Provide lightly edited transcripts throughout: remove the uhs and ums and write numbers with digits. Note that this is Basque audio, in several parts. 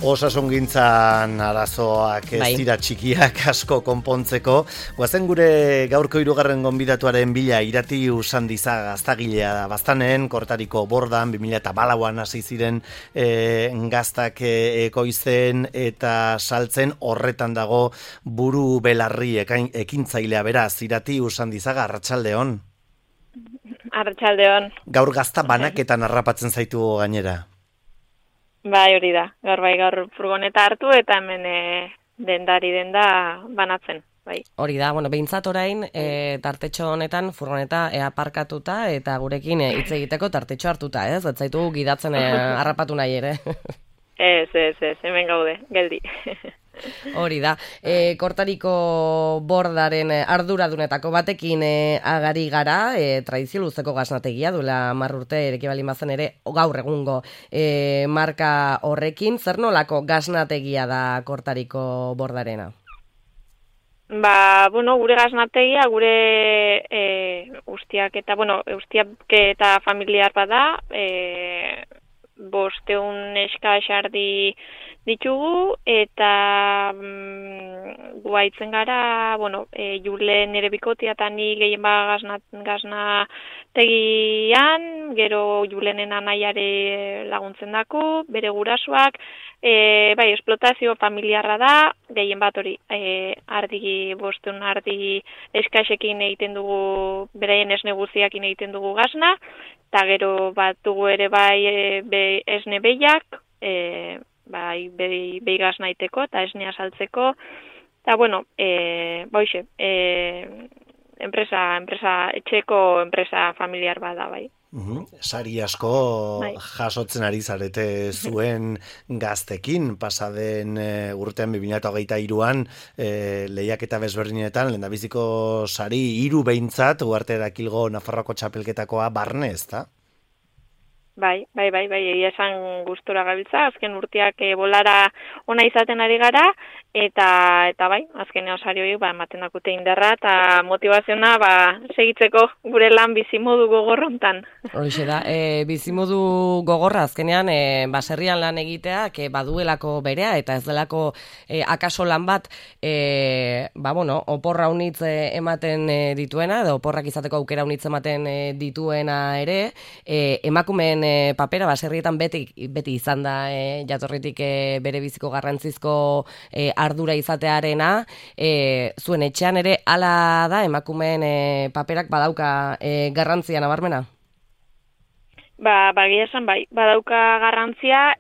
Osasungintzan arazoak ez dira txikiak asko konpontzeko. Guazen gure gaurko 3. gonbidatuaren bila Irati Usandiza gaztagilea da. Baztanen, Kortariko Bordan, 2004an hasi ziren gaztak ekoizten eta saltzen, horretan dago buru belarri ekintzailea beraz. Irati Usandizaga, arratsaldeon. Arratsaldeon. Gaur gazta banaketan harrapatzen zaitu gainera. Bai, hori da. Gaur furgoneta hartu eta hemen denda banatzen. Bai. Hori da, behintzat orain tartetxo honetan furgoneta aparkatuta eta gurekin hitz egiteko tartetxo hartuta, ez? Ez zaitu gidatzen harrapatu nahi ere. Ez, hemen gaude, geldi. Hori da, Kortariko Bordaren arduradunetako batekin agari gara, tradizio luzeko gaznategia, duela 10 urte ereki bali mazen ere, gaur egungo marka horrekin, zer nolako gaznategia da Kortariko Bordarena? Gure gaznategia, gure ustiaketa familiar bada, 500 neska xardi ditugu eta guaitzen gara, Jule nire bikotia eta ni gehien gaznategian, gero Julenen anaiare laguntzen daku, bere gurasoak, esplotazio familiarra da, gehien bat hori, 500 ardi eskaxekin egiten dugu, beraien esne guztiakin egiten dugu gazna, eta gero bat dugu ere esne behiak, behi gazna iteko eta esnea saltzeko, eta etxeko enpresa familiar bada, bai. Sari asko jasotzen ari zarete zuen gaztekin, pasaden urtean 2023an lehiaketa bezberdinetan, lehendabiziko sari 3 behintzat, Uharte Erakilgo Nafarroako txapelketakoa barne, ezta? Bai, esan gustora gabiltza, azken urteak bolara ona izaten ari gara, eta azken osari horiek ematen dakute indarra eta motivaziona segitzeko gure lan bizimodu gogorrontan. Horixe da, bizimodu gogorra azkenean baserrian lan egiteak baduelako berea eta ez delako akaso lan bat oporra unitz ematen dituena, edo oporrak izateko aukera unitz ematen dituena ere, emakumeen papera baserrietan beti izan da jatorritik bere biziko garrantzizko ardura izatearena, zuen etxean ere hala da emakumeen paperak badauka garrantzia nabarmena? Bagia esan badauka garrantzia,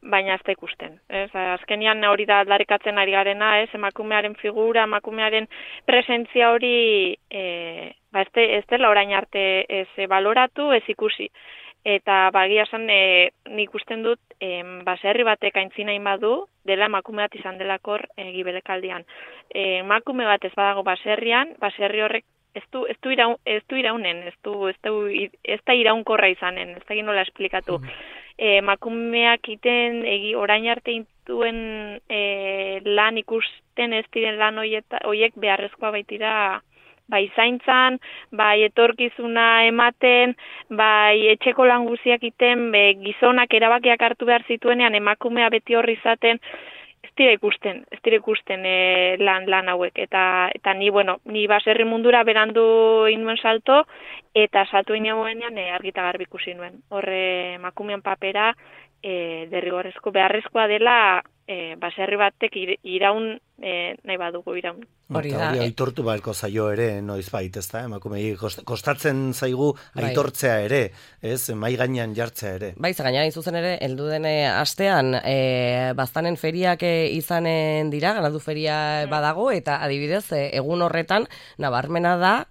baina ez da ikusten. Azkenian hori da aldarrikatzen ari garena, emakumearen figura, emakumearen presentzia hori ez dela orain arte ez baloratu, ez ikusi. Eta bagia esan nik usten dut baserri batek aintzina badu dela emakume bat izan delakor gibelekaldian. Emakume bat ez badago baserrian, baserri horrek ez du iraunen, ez da iraunkorra izanen, ez da nola esplikatu. Emakumeak orain arte intuen lan ikusten ez diren lan horiek beharrezkoa baitira, zaintzan, etorkizuna ematen, etxeko lan guziak iten, gizonak erabakiak hartu behar zituenean emakumea beti horri izaten, ez dira ikusten lan hauek. Eta ni baserri mundura berandu inuen salto, eta salto inean argita garbi ikusi nuen. Horre emakumean papera derrigorrezko beharrezkoa dela baserri batek iraun nahi badugu iraun. Hori aitortu beharko zaio ere, noizbait, ezta? Emakumei kostatzen zaigu aitortzea ere, ez? Mai gainean jartzea ere. Gainera zuzen ere, heldu den astean baztanen feriak izanen dira, ganadu feria badago, eta adibidez, egun horretan nabarmena da,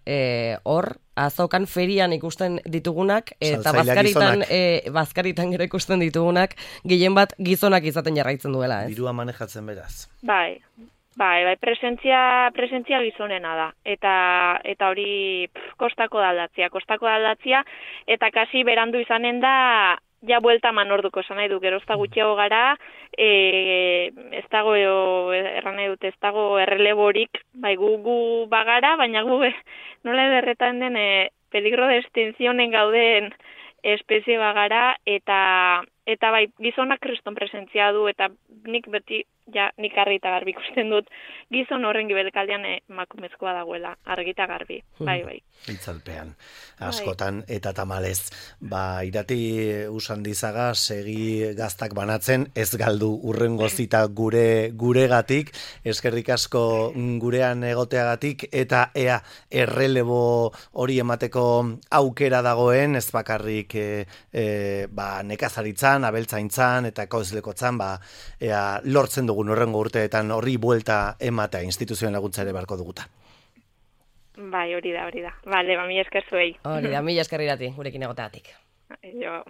hor azokan ferian ikusten ditugunak, eta bazkaritan gero ikusten ditugunak, gehien bat gizonak izaten jarraitzen duela, ez? Dirua manejatzen beraz. Presentzia gizonena da, eta hori kostako da aldatzia, eta kasi berandu izanen da, ja buelta manorduko esan nahi du, gero ez da gutxiago gara, ez dago erreleborik, gu bagara, baina gu nola ederretan den peligro de extinzionen gauden espezie bagara, eta Eta bai, gizonak kriston presentzia du, eta nik beti, nik argi eta garbi ikusten dut, gizon horren gibelkaldean emakumezkoa dagoela, argi eta garbi, bai. Itzalpean, askotan, eta tamalez, irati Usandizaga segi gaztak banatzen, ez galdu urrengo zita guregatik, eskerrik asko gurean egoteagatik, eta ea errelebo hori emateko aukera dagoen, ez bakarrik nekazaritzan, abeltzaintzan, eta ekoizlekotzan, ea lortzen dugun urrengo urteetan horri buelta ematea instituzioen laguntza ere barko duguta. Bai, hori da. Bale, mila esker zuei. Hori da, mila esker irati, gurekin egoteatik. Jo.